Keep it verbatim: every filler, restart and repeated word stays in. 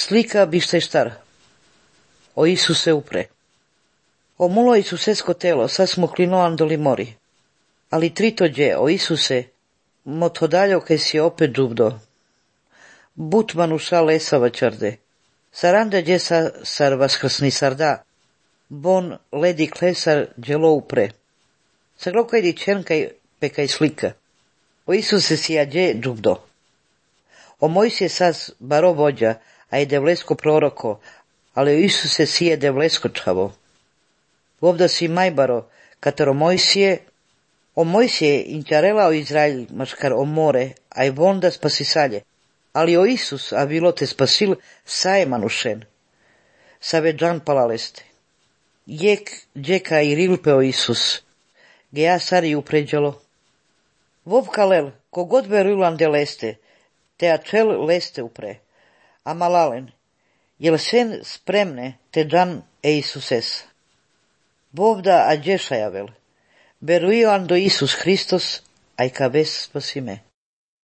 Slika bišteštar. O Isuse upre. O mulo Isusesko telo, sad smo klinoan doli mori. Ali tritođe, o Isuse, motodaljo kaj si opet džubdo. Butmanu šal esava čarde. Saranda gdje sa sar vaskrsni sarda. Bon ledi klesar djelo upre. Saglokaj di čenkaj pekaj slika. O Isuse si ađe džubdo. O Mojsije saz baro vođa, a je devlesko proroko, ali o Isuse si je devlesko čavo. Ovda si majbaro, katero Mojsije, o Mojsije inčarela o Izraelj, maškar o more, a je vonda spasisalje, ali o Isus, a bilo te spasil, saje manušen. Save džan palaleste. Jek džeka i rilpe o Isus, ge ja sari upređalo. Vov kalel, kogod verulan de leste, te ačel leste upre, a malalen, jel sen spremne te džan e Isuses. Vovda a džešajavel, veruian do Isus Hristos, aj ka ves spasime.